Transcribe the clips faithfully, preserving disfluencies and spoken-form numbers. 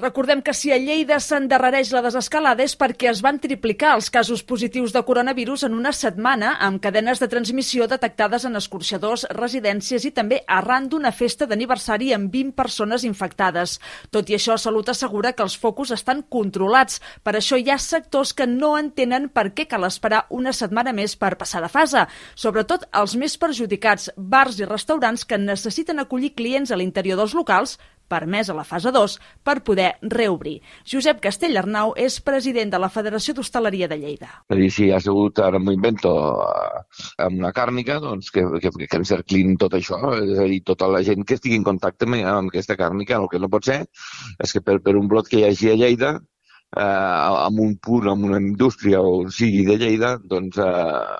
Recordem que si a Lleida s'endarrereix la desescalada és perquè es van triplicar els casos positius de coronavirus en una setmana, amb cadenes de transmissió detectades en escorxadors, residències i també arran d'una festa d'aniversari amb vint persones infectades. Tot i això, Salut assegura que els focus estan controlats. Per això hi ha sectors que no entenen per què cal esperar una setmana més per passar de fase. Sobretot els més perjudicats, bars i restaurants que necessiten acollir clients a l'interior dels locals, permès a la fase dos, per poder reobrir. Josep Castellarnau és president de la Federació d'Hostaleria de Lleida. És a dir, si hi ha sigut, ara m'ho invento, amb una càrnica, doncs que, que, que encerclin tot això, és a dir, tota la gent que estigui en contacte amb, amb aquesta càrnica. El que no pot ser és que per, per un brot que hi hagi a Lleida, eh, amb un punt, amb una indústria o sigui de Lleida, doncs eh,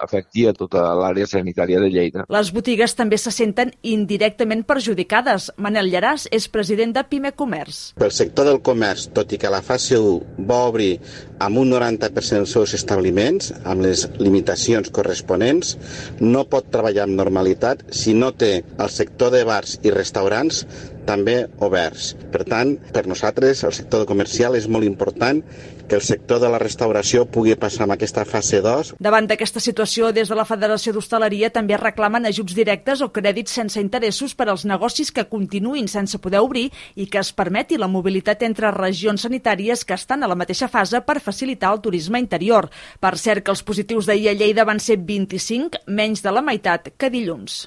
afecti a tota l'àrea sanitària de Lleida. Les botigues també se senten indirectament perjudicades. Manel Llaràs és president de Pime Comerç. Pel sector del comerç, tot i que la fase u va obrir amb un noranta per cent dels seus establiments, amb les limitacions corresponents, no pot treballar amb normalitat si no té el sector de bars i restaurants també oberts. Per tant, per nosaltres, el sector comercial és molt important que el sector de la restauració pugui passar amb aquesta fase dos. Davant d'aquesta situació, des de la Federació d'Hostaleria també reclamen ajuts directes o crèdits sense interessos per als negocis que continuïn sense poder obrir i que es permeti la mobilitat entre regions sanitàries que estan a la mateixa fase per facilitar el turisme interior. Per cert, que els positius d'ahir a Lleida van ser vint-i-cinc, menys de la meitat que dilluns.